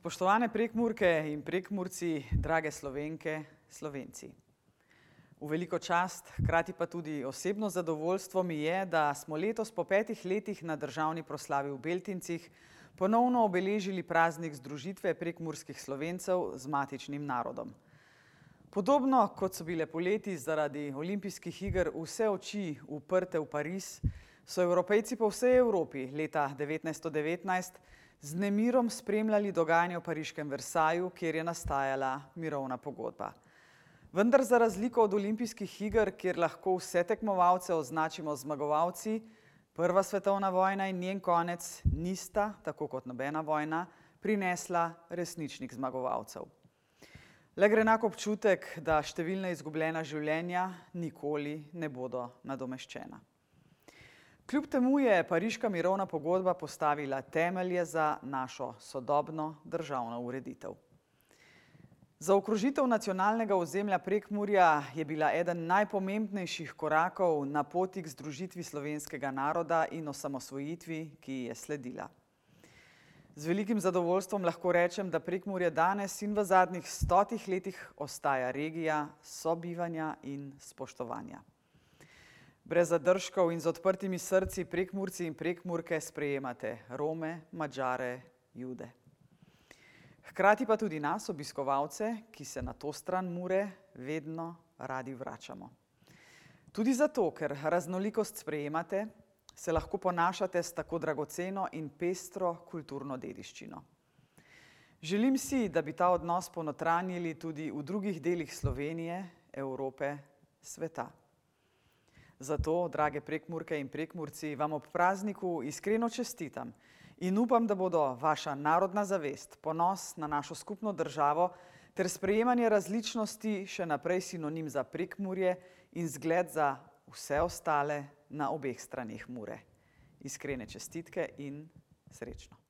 Spoštovane Prekmurke in Prekmurci, drage Slovenke, Slovenci. V veliko čast, hkrati pa tudi osebno zadovoljstvo mi je, da smo letos po 5 letih na državni proslavi v Beltincih ponovno obeležili praznik združitve prekmurskih Slovencev z matičnim narodom. Podobno kot so bile poleti zaradi olimpijskih iger vse oči uprte v Pariz, so Evropejci po vsej Evropi leta 1919 z nemirom spremljali dogajanje v pariškem Versaju, kjer je nastajala mirovna pogodba. Vendar za razliko od olimpijskih iger, kjer lahko vse tekmovalce označimo zmagovalci, Prva svetovna vojna in njen konec nista, tako kot nobena vojna, prinesla resničnih zmagovalcev. Le gre enak občutek, da številna izgubljena življenja nikoli ne bodo nadomeščena. Kljub temu je pariška mirovna pogodba postavila temelje za našo sodobno državno ureditev. Zaokrožitev nacionalnega ozemlja Prekmurja je bila eden najpomembnejših korakov na poti k združitvi slovenskega naroda in osamosvojitvi, ki je sledila. Z velikim zadovoljstvom lahko rečem, da Prekmurje danes in v zadnjih 100 letih ostaja regija sobivanja in spoštovanja. Brez zadržkov in z odprtimi srci Prekmurci in Prekmurke sprejemate Rome, Madžare, Jude. Hkrati pa tudi nas, obiskovalce, ki se na to stran Mure vedno radi vračamo. Tudi zato, ker raznolikost sprejemate, se lahko ponašate s tako dragoceno in pestro kulturno dediščino. Želim si, da bi ta odnos ponotranjili tudi v drugih delih Slovenije, Evrope, sveta. Zato, drage Prekmurke in Prekmurci, vam ob prazniku iskreno čestitam in upam, da bodo vaša narodna zavest, ponos na našo skupno državo ter sprejemanje različnosti še naprej sinonim za Prekmurje in zgled za vse ostale na obeh straneh Mure. Iskrene čestitke in srečno.